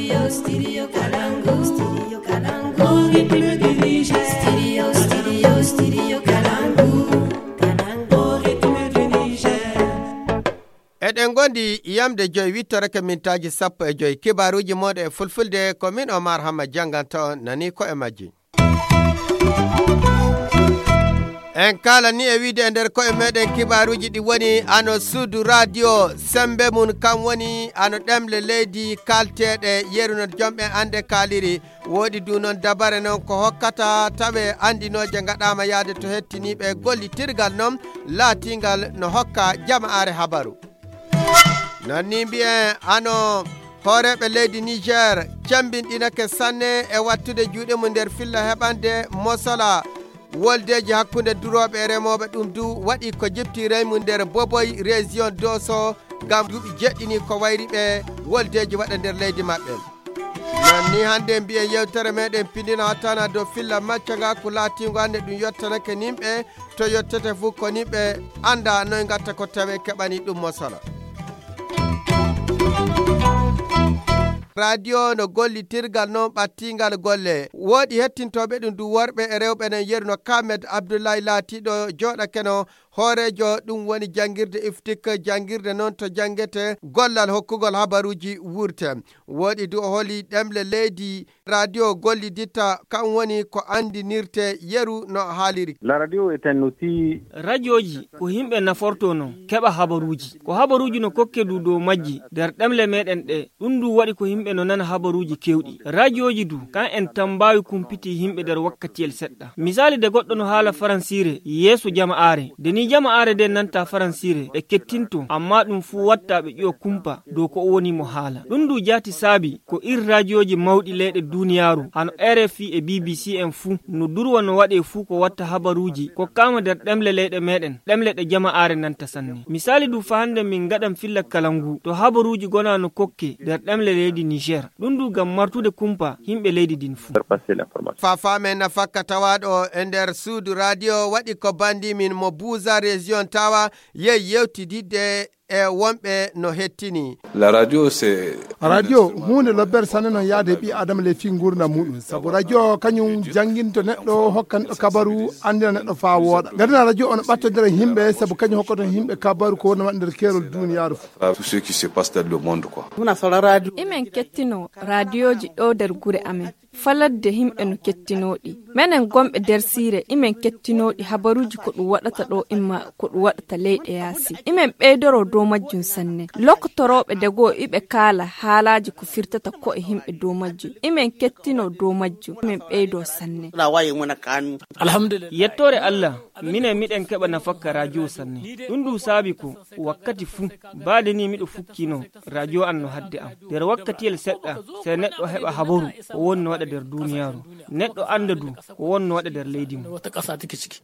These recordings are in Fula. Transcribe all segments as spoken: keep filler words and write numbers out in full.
Studio Kalangu, Studio Kalangu, au rythme du Niger. Studio, studio, Studio Kalangu, Kalangu, au rythme du Niger. Eɗen ngondi yamde joyi, wittorake mintaaji sappo e joyi. Kibaaruuji mooɗon e fulfulde, ko min Omar Hamma jannganta on, nani ko e majji. En kaalani e wiide e nder koye meɗen kibaaruuji ɗi woni ano suudu radio, sembe mum kam woni ano ɗemle leydi kalteeɗe yeru no jomɓe annde kaaliri. Woodi du noon dabare noon ko hokkata tawe anndinooje ngaɗaama yaade to hettiniiɓe gollitirgal noon laatingal no hokka jama'aare habaru. Nanni mbiyen ano hooreeɓe leydi Niger cembinɗinake sanne e wattude juuɗe mum nder filla heɓande mosola woldeeji hakkunde durooɓe e remooɓe. Ɗum du waɗi ko jiptiray mum nder Boboy, région Doso, ngam duuɓi jeɗɗini ko wayri ɓe woldeeji waɗa nder leydi maɓɓe. Nanni hannde mbiyen yewtere meɗen pindina hattana dow filla macca nga ko laatingo hannde ɗum yottanake nimɓe to yottete fuu ko ni ɓe annda noy ngatta ko tawe keɓani ɗum mosala. Radio no gollitirgal noon ɓattingal golle. Woodi hettintooɓe ɗum du worɓe e rewɓe nen yeru no Kamed Abdullahi laatiiɗo jooɗakeno hooreejo ɗum woni janngirde iftik, janngirde noon to janngete gollal hokkugol habaruuji wurte. Woodi du o holi ɗemle leydi radio golliditta, kan woni ko anndinirte yeru no haaliri. La radio est un outil. Radioji ko yimɓe naforto non keɓa habaruuji. Ko habaruuji no kokke du dow majji nder ɗemle meɗen ɗe. Ɗum du waɗi ko yimɓe no nana habaruuji kewɗi. Radioji du kan en tambawi kumpiti yimɓe nder wakkatiyel seɗɗa. Misali de goɗɗo no haala faransiire yeeso jama'aare. De ni jama'aare de nanta faransiire ɓe kettinto, amma ɗum fuu watta ɓe ƴiwa kumpa dow ko o woni mo haala. Ɗum du jaati saabi ko ir radioji mawɗi leyɗe duniyaaru, hano R F I e B B C en fuu, no durwa no waɗe fuu ko watta habaruuji kokkaama nder ɗemle leyɗe meɗen, ɗemle ɗe jama'aare nanta sanne. Misali du fa hande min ngaɗan filla kala ngu to habaruuji gona no kokke nder ɗemle leydi Niger. Ɗum du ngam martude kumpa yimɓe leydi din fuu. Fa faamen nafakka tawaaɗo e nder suudu radio waɗi ko bandi min mo Buuza région tawa yehi yewtididde e wonɓe no hettini. La radio, c'est radio huunde lobbere sanne noon yaade ɓi adama le fii nguurndam muɗum. Sabu radio kañum jannginto neɗɗo, hokka neɗɗo kabaru, anndina neɗɗo faa wooɗa. Ngadina radio on ɓattodira yimɓe, sabu kañum hokkoto yimɓe kabaru ko wonno waɗa nder keerol duniyaaru fof. Tout ce qui se passe dans le monde, quoi. Imen kettino radioji ɗo nder gure amen. Faladde yimɓe no kettinooɗi. Menen gonɓe nder siire, imen kettinooɗi habaruuji ko ɗum waɗata ɗo imma ko ɗum waɗata leyɗe yaasi. Imen ɓeydoro dow majjum sanne. Lokotorooɓe dego iɓe kaala haalaaji ko firtata ko e yimɓe dow majjum. Imen kettino dow majjum. Imen ɓeydo sanne. Alhamdulillah. Yettoore Allah, minen miɗen keɓa nafakka radio sanne. Ɗum ɗum saabi ko wakkati fuu, baade ni miɗo fukkino radio an no hadde am. Nder wakkatiyel seɗɗa, sey neɗɗo heɓa habaru ko wonno waɗa nder duniyaaru. Neɗɗo annda du ko wonno waɗa nder leydi mum.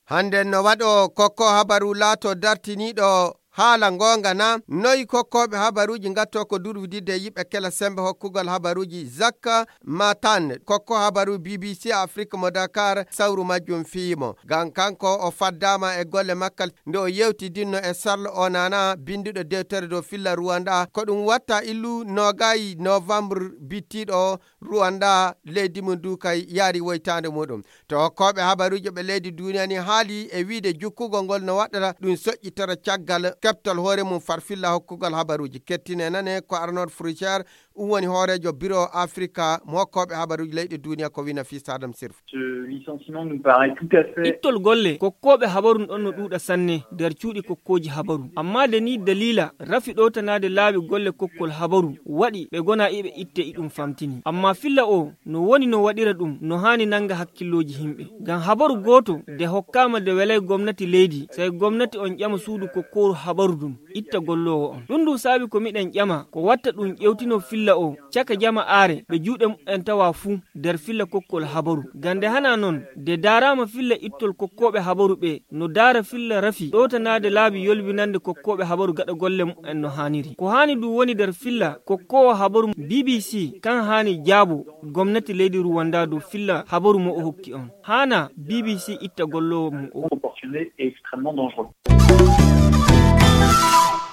Hannde no waɗo kokko habaru laato dartiniiɗo haala ngoonga na? Noy kokkooɓe habaruuji ngatto ko durwididde yiɓe kela sembe hokkugol habaruuji zakka matan? Kokko habaru B B C Afrique mo Dakar sawru majjum fiimo. Ngam kanko o faddaama e golle makka nde o yewtidinno e Sarlo Onana, binnduɗo dewtere dow filla Rwanda. Ko ɗum watta illu nogayi novembre bittiɗo o, Rwanda, leydi mum du kay yaari woytaande muɗum. To hokkooɓe habaruuji ɓe leydi duniya ni haali e wiide jukkugol ngol no waɗata ɗum soƴƴitoro caggal keɓtol hoore mum farfilla hokkugol habaruuji. Kettine nane ko Arnold Fruchard, ɗum woni hooreejo biro Afrika mo hokkooɓe habaruuji leyɗe duniya ko wina fii Sadam Sirf. Ce licenciement nous paraît tout à fait. Ittol golle kokkooɓe habaru ɗon no ɗuuɗa sanne nder cuuɗi kokkooji habaru. Amma de ni dalila rafi ɗowtanaade laabi golle kokkol habaru waɗi ɓe gona iɓe itte iɗum famtini. Amma filla o no woni no waɗira ɗum no haani nanga hakkillooji himɓe. Ngam habaru gooto de hokkaama de welay gomnati leydi, sey gomnati on ƴama suudu kokkooru habaru ɗum. Itta golloowo on. Ɗum ɗum saabi ko miɗen ƴama ko watta ɗum ƴewtino filla o caka jama'aare ɓe juuɗe mumen tawa fuu nder filla kokkol habaru. Gande hana non de daaraama filla ittol kokkooɓe habaru ɓe no daara filla rafi ɗowtanaade laabi yolbinande kokkooɓe habaru gaɗa golle mumen no haaniri. Ko haani ɗum woni nder filla kokkoowo habaru B B C kan haani jaabo gomnati leydi Rwanda dow filla habaru mo o hokki on. Haana B B C itta golloowo mum o. Proportionné et extrêmement dangereux.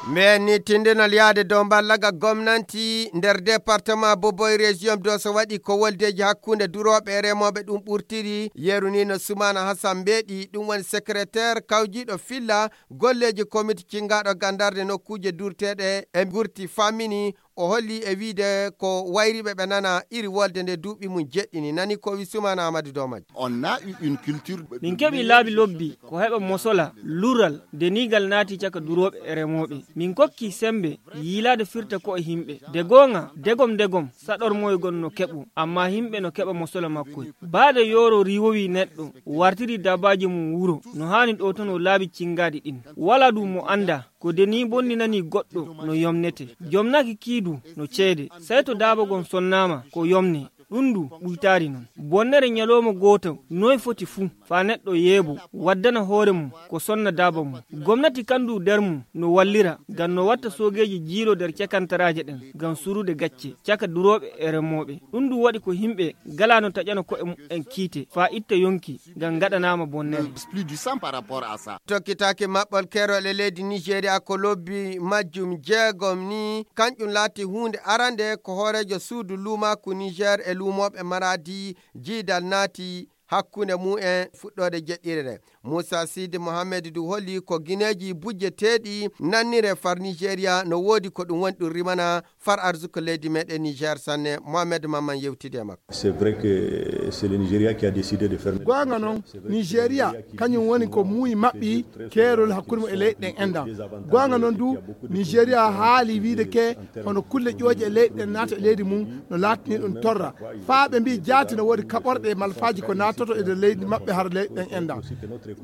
Mbeeni tindinol yahde dow mballaga gomnanti nder département Boboy, région Dosso, waɗi ko woldeeji hakkunde durooɓe e remooɓe ɗum ɓurtiri. Yeru ni no Sumana Hassan Mbeeɗi, ɗum woni secrétaire kawjiiɗo filla golleeji komiti cinngaaɗo gandarde nokkuuje durteeɗe e gurti, fammini. O holli e wiide ko wayriiɓe ɓe nana iri wolde nde duuɓi mum jeɗɗini. Nani ko wi Sumana Amadou Dow majji. On a eu une culture. Min keɓi laabi lobbi ko heɓa mosola, lural, deniigal naati caka durooɓe e remooɓe. Min kokki sembe yiilaade firta ko e yimɓe. De goonga, degom degom, saɗormoygon no keɓo, amma yimɓe no keɓa mosola makko. Baade yooro riiwowi neɗɗo, wartiri dabaaji mum wuro, no haani ɗo tono laabi cinngaaɗi ɗin. Wala ɗum mo annda, ko deni bonninani goɗɗo no yomnete. Jomnaki kiidu no ceede. Sey to daabagon sonnaama ko yomne. Ɗum ndu ɓuytaari non. Bonnere ñalooma gooto noy foti fuu, faa neɗɗo yeebo, waddana hoore mum ko sonna daaba mum. Gomnati kandu nder mum no wallira, ngam no watta soogeeji jiilo nder cakantaraaje ɗen, ngam surude gacce, caka durooɓe e remooɓe. Ɗum ndu waɗi ko yimɓe galaa no taƴana ko'e mum en kiite, faa itta yonki, ngam ngaɗanaama bonnere. Plus du sang par rapport à ça. Tokkitaaki maɓɓol keerol e leydi Nigeria ko lobbi majjum jeegom ni, kanƴum laati huunde arande ko hooreejo suudu luumaaku Niger e luumooɓe Maradi jiidal naati hakkunde mum en fuɗɗoode jeɗɗire nde. Moussa Sidi Mohamed du holli ko gineeji bujjeteeɗi nannire far Nigeria no woodi ko ɗum woni ɗum rimana far arsuka leydi meɗen Niger sanne. Mohamed Mamman yewtidi e makko. C'est vrai que c'est le Nigeria qui a décidé de fermer. Goonga noon, Nigeria kañum woni ko muuyi maɓɓi keerol hakkunde mum e leyɗe ɗen enɗan. Goonga noon du, Nigeria haali wiide ke hono kulle ƴooƴe e leyɗe ɗen naata e leydi mum no laatini ɗum torra. Faa ɓe mbii jaati no woodi kaɓorɗe e malfaaji ko naatoto e nder leydi maɓɓe hara leyɗe ɗen enɗan.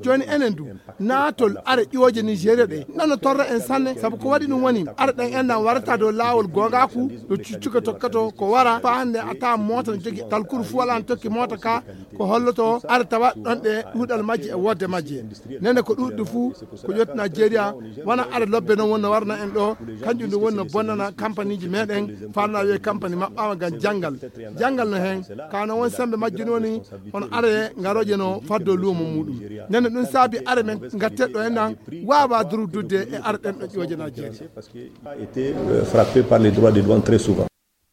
Jooni enen du, naatol are ƴooƴe Nigeria ɗe nano torra en sanne, sabu ko waɗi ɗum woni are ɗen enɗan warata dow laawol goongaaku, ɗo cuccuka tokkato ko wara faa hannde a taa moota no jogi talkuru fuu alaa no tokki moota ka, ko holloto are tawa ɗon ɗe ɗuuɗal majje e woodde majje. Nene ko ɗuuɗi fuu ko ƴetti Nigeria, wona are lobbe noon woni no warana en ɗo, kanjum ɗum woni no bonnana kampaniji meɗen, faanaa wiye kampani maɓɓaama ngam janngal. Janngal no heen, ka no won sembe majjum woni hono are ngarooje no faddo luumo muɗum. Nene ɗum saabi are men ngatte ɗo enɗan waawa durdude e are ɗen ɗo ƴooƴe Nigeria. Parce que a été, euh, frappé par les droits de douane très souvent.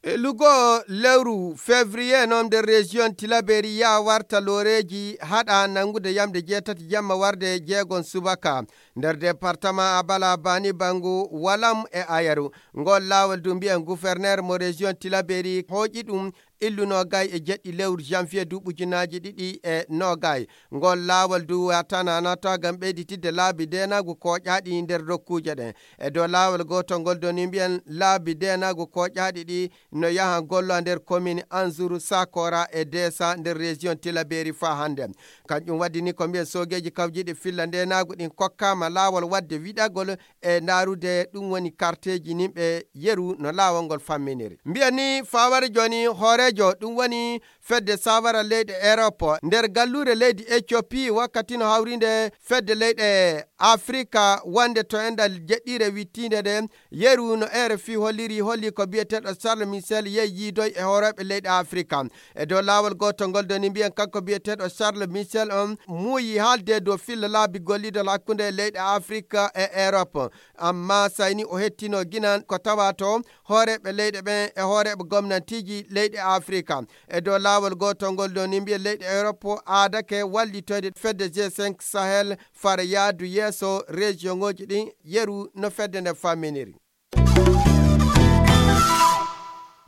E lugo lewru février noon nder région Tilaberi yaa warta looreeji haɗa nanngude yamde jeetati jamma warde jeegon subaka nder département Abala, Bani Bangu, Walam e Ayaru. Ngol laawol du mbiyen gouverneur mo région Tilaberi hooƴi ɗum illu noogay e jeɗɗi lewru janvier du ujunaaji ɗiɗi e noogay. Ngol laawol du watana nata ngam ɓeyditidde laabi deenaagu kooƴaaɗi nder nokkuuje ɗen. E dow laawol gootol ngol doni mbiyen laabi deenaagu kooƴaaɗi ɗi no yaha gollo nder commune Anzuru, Sakora e Desa nder région Tilaberi faa hannde. Kanjum waddi ni ko mbiyen soogeeji kawjiiɗi filla ndeenaagu ɗin kokkaama laawol wadde wiɗagol e ndaarude ɗum woni karteeji nimɓe yeru no laawol ngol famminiri. Mbiyen ni faa wari jooni hooreejo ɗum woni fedde saawara leyɗe Europe nder galluure leydi Ethiopie wakkati no hawrinde fedde leyɗe Afrika wonde to enɗal jeɗɗire wittiinde nde. Yeru no R F I holliri, holli ko biyeteeɗo Charles Michel yehi yiidoy e hooreeɓe leyɗe Afrika. E dow laawol gootol ngol doni mbiyen kanko biyeteeɗo Charles Michel on muuyi haalde dow filla laabi gollidol hakkunde leyɗe Afrika e Europe. Amma sayni o hettino ginan ko tawa to hooreeɓe leyɗe ɓen e hooreeɓe gomnantiiji leyɗe Afrika. E dow laawol gootol ngol doni mbiyen leyɗe Europe aadake wallitoyde fedde G cinq Sahel fara yaadu yeeso région ŋooji ɗin yeru no fedde nden famminiri.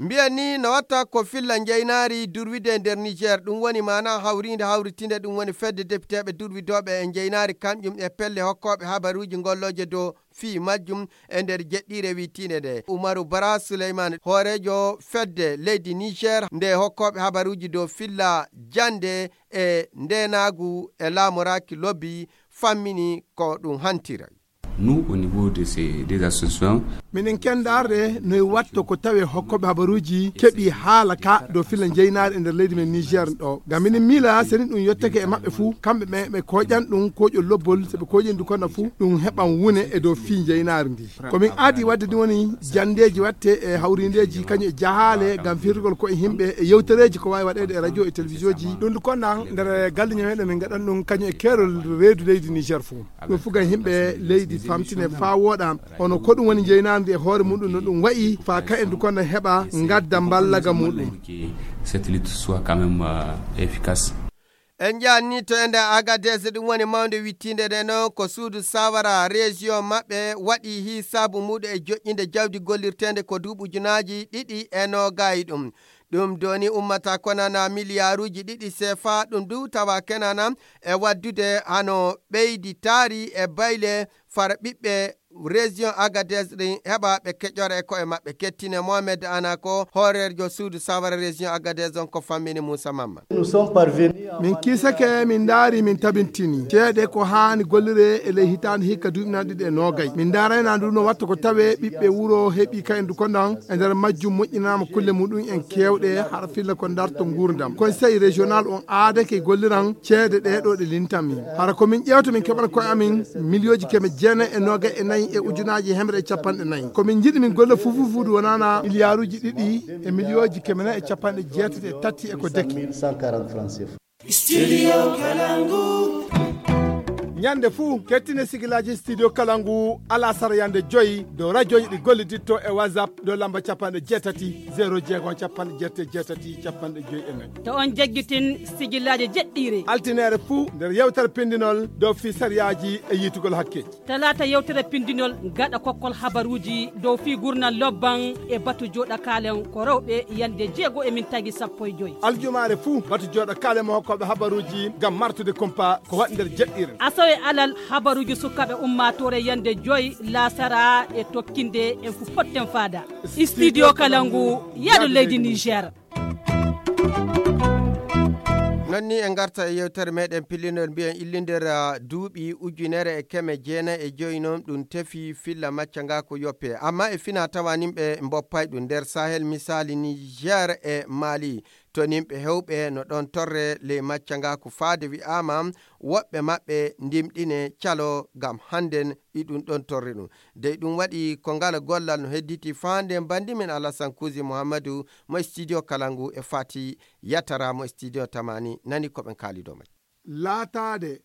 Mbiyen ni no watta ko filla njeynaari durwide nder Niger, ɗum woni maana hawriinde hawritinde, ɗum woni fedde depiteeɓe durwidooɓe e njeynaari, kamƴum e pelle hokkooɓe habaruuji ngollooje dow fii majjum e nder jeɗɗiire wiitiinde nde. Umaru Bara Suleyman, hooreejo fedde leydi Niger nde hokkooɓe habaruuji dow filla jannde e ndeenaagu e laamoraaki lobbi, fammini ko ɗum hantira. Nous, au niveau de ces deux associations, minen kenndaarde no e watto ko tawi hokkooɓe habaruuji keɓi haala ka dow filla njeynaari e nder leydi men Niger ɗo. Ngam minen miila seni ɗum yottake e maɓɓe fuu, kamɓe ɓe ɓe kooƴan ɗum kooƴol lobbol, so ɓe kooƴii ndu kono fuu ɗum heɓan wune e dow fii njeynaari ndi. Ko min aadi waɗde ɗum woni janndeeji waɗte e hawriindeeji kañum e jahaale ngam firtugol koye yimɓe e yewtereeji ko waawi waɗeede e radio e télévision ji. Ɗum ndu konnan nder galle ñameeɗo min ngaɗan ɗum kañum e keerol reedu leydi Niger fuu. Ɗum fuu ngam yimɓe leydi famtine faa Woɗa, hono ko ɗum woni njeynaandi e hoore muɗum no ɗum wayi, faa ka en du konda heɓa ngadda mballaga muɗum. Cette lutte soit quand même euh, efficace. En njaanni to ende Agadez, ɗum woni mawnde wittiinde nde noon ko suudu sawara région maɓɓe waɗi hisaabu muɗum e joƴƴinde jawdi gollirteende ko duuɓi ujunaaji ɗiɗi e noogay ɗum. Ɗum doni ummata konana miliyaaruuji ɗiɗi sefa, ɗum du tawa kenana e waddude hano ɓeydi taari e bayle fara ɓiɓɓe région Agadez ɗin heɓa ɓe keƴora e koye maɓɓe. Kettine Mohamed Anako, hooreejo suudu sawara région Agadez on ko fammini Moussa Mamma. Nous sommes parvenus à min kiisake, min ndaari, min tabintini ceede ko haani gollire e ley hitaande hikka duuɓi naaɗi ɗiɗi e noogay. Min ndaarayna ndu no watta ko tawe ɓiɓɓe wuro heɓi kayen du kondan e nder majjum moƴƴinaama kulle muɗum en keewɗe hara filla ko darto nguurndam. Conseil régional on aadake golliran ceede ɗe ɗo ɗe lintanmi. Hara ko min ƴeewta min keɓana koye amin miliyooji keme jeenayi e noogay e nayi e ujunaaji hemre e capanɗe nayi. Ko min njiɗi min golla fufufuudu wonana miliyaaruuji ɗiɗi e miliyooji keme nayi e capanɗe jeetati e tati e ko deki. Studio Kalangu. Ñande fuu, kettine sigilaaji Studio Kalangu alasara yande joyi dow rajooji ɗi golliditto e WhatsApp dow lamba capanɗe jeetati, zéro jeegom, capanɗe jeetati e jeetati, capanɗe joyi e nayi. To on jaggitin sigilaaji jeɗɗiire. Altineere fuu nder yewtere pindinol dow fii sariyaaji e yiitugol hakke. Talaata yewtere pindinol gaɗa kokkol habaruuji dow fii gurnal lobban e batu jooɗa kaalen ko rewɓe yande jeego e min tagi sappo e joyi. Aljumaare fuu batu jooɗa kaalen mo hokkooɓe habaruuji ngam martude kumpa ko waɗi nder jeɗɗiire. Asawe alal habaruuji sukaaɓe ummaatoore yande joyi laasara e tokkinde en fu potten faada. Studio Kalangu, yaadu leydi Niger. Non ni en ngarta e yewtere meɗen pillinol mbiyen illindir ah, duuɓi ujunere e keme jeenayi e joyi non ɗum tefi filla macca nga ko yoppe. Amma e fina tawa nimɓe mboppay ɗum nder Sahel misali Niger e Mali. To nimɓe hewɓe no ɗon torre ley macca nga ko faade wi'ama woɓɓe maɓɓe ndimɗine calo ngam hannden iɗum ɗon torre ɗum. Dey ɗum waɗi ko ngala gollal no hedditi faande mbandi min Alasan Kuusi Muhammadu mo studio Kalangu e Fati Yatara mo studio Tamani nani ko ɓen kaalido may. Laataade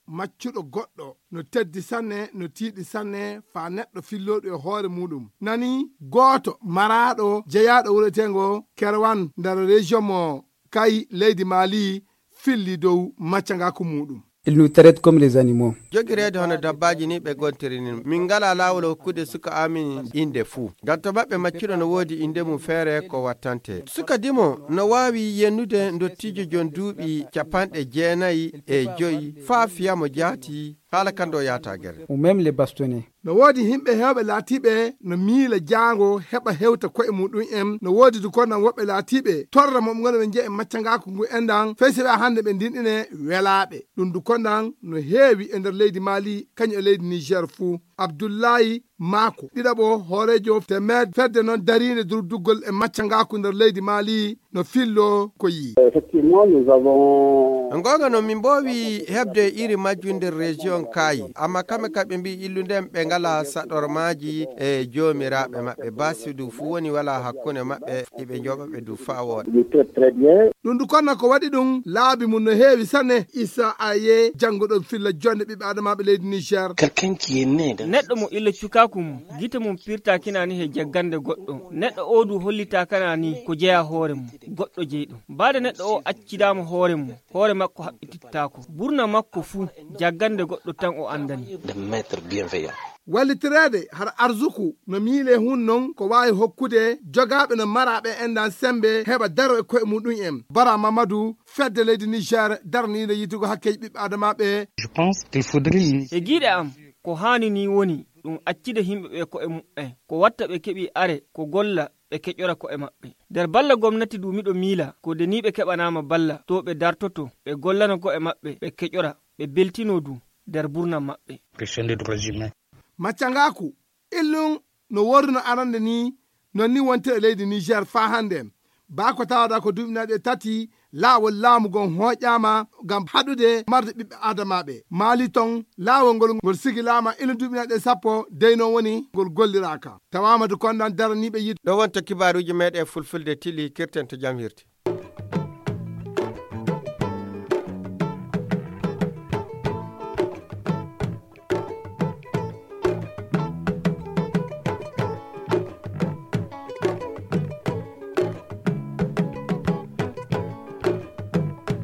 maccuɗo goɗɗo no teddi sanne, no tiiɗi sanne, faa neɗɗo fillooɗo e hoore muuɗum. Nani gooto maraaɗo jeyaaɗo wureteengo Kerwan nder région mo Kay leydi Mali filli dow macca ngaaku muuɗum. Ils nous traitent comme les animaux. Jogireede hono dabbaaji ni ɓe gontiri ni. Min ngalaa laawol hokkude suka amin innde fuu. Ngam to maɓɓe maccuɗo no woodi innde mum feere ko wattante. Suka dimo no waawi yennude ndottiijo jon duuɓi capanɗe jeenayi e joyi faa fiya mo jaati haala kan ɗo yaata gerde. Ou même les bastonnés. No woodi himɓe heewɓe laatiiɓe no miila jaango heɓa hewta ko'e muɗum en. No woodi du konnan woɓɓe laatiiɓe torra mo ɓe ngona ɓe njeya e macca ngaaku ngu enɗan. Fey si ɓe hannde ɓe ndinɗine welaaɓe. Ɗum du konnan no heewi e nder leydi Mali, kañum e leydi Niger fuu. Abdullahi Maako, ɗiɗaɓo hooreejo temed fedde noon dariinde durduggol e macca ngaaku nder leydi Mali, no fillo ko yii. Effectivement, nous avons Goonga noon, min mboowi heɓde iri majjum nder région Kaayi, amma kamɓe kadi ɓe mbii illude ɓe ngalaa saɗormaaji e joomiraaɓe maɓɓe. Basidu fuu woni walaa hakkunde maɓɓe, iɓe njooɓa ɓe du faa wooɗa. Ɗum du konnan ko waɗi ɗum laabi mum no heewi sanne. Isa Aye, jannguɗo filla jonde ɓiɓɓe adamaaɓe leydi Niger. Neɗɗo mo illa cukaaku mum, gite mum pirtaakina ni he jaggande goɗɗo. Neɗɗo oo du hollitaakana ni ko jeyaa hoore mum, goɗɗo jeyɗo. Baade neɗɗo oo accidaama hoore mum, hoore makko haɓɓitittaako. Burna makko fuu, jaggande goɗɗo tan o anndani. Wallitireede hara arsuku no miile hun non ko waawi hokkude jogaaɓe no maraaɓe enɗan semmbe heɓa daro e ko'e muɗum en. Bara Mamadou, fedde leydi Niger daraniinde yiitugo hakkeeji ɓiɓɓe adamaaɓe. E giiɗe am, ko haani ni woni ɗum accude yimɓe ɓe ko'e muɓɓen, ko watta ɓe keɓi are, ko golla, ɓe keƴora ko'e maɓɓe. Nder balla gomnati du miɗo miila, ko deniiɓe keɓanaama balla, to ɓe dartoto, ɓe gollano ko'e maɓɓe, ɓe keƴora, ɓe beltino du nder burna maɓɓe. Macca ngaaku, illun no worruno arande ni, non ni wonti e leydi Niger faa hannde. Baa ko tawata ko duuɓi nayi e tati, laawol laamu ngon hooƴaama ngam haɗude marde ɓiɓɓe aadamaaɓe. Maali ton, laawol ngol ngol sigilaama ila duuɓi nayi e sappo, dey non woni ngol golliraaka. Tawaama du kondan daraniiɓe yiɗ. Ɗo wonta kibaaruuji meeɗen fulfulde tili kirten to jam hirti.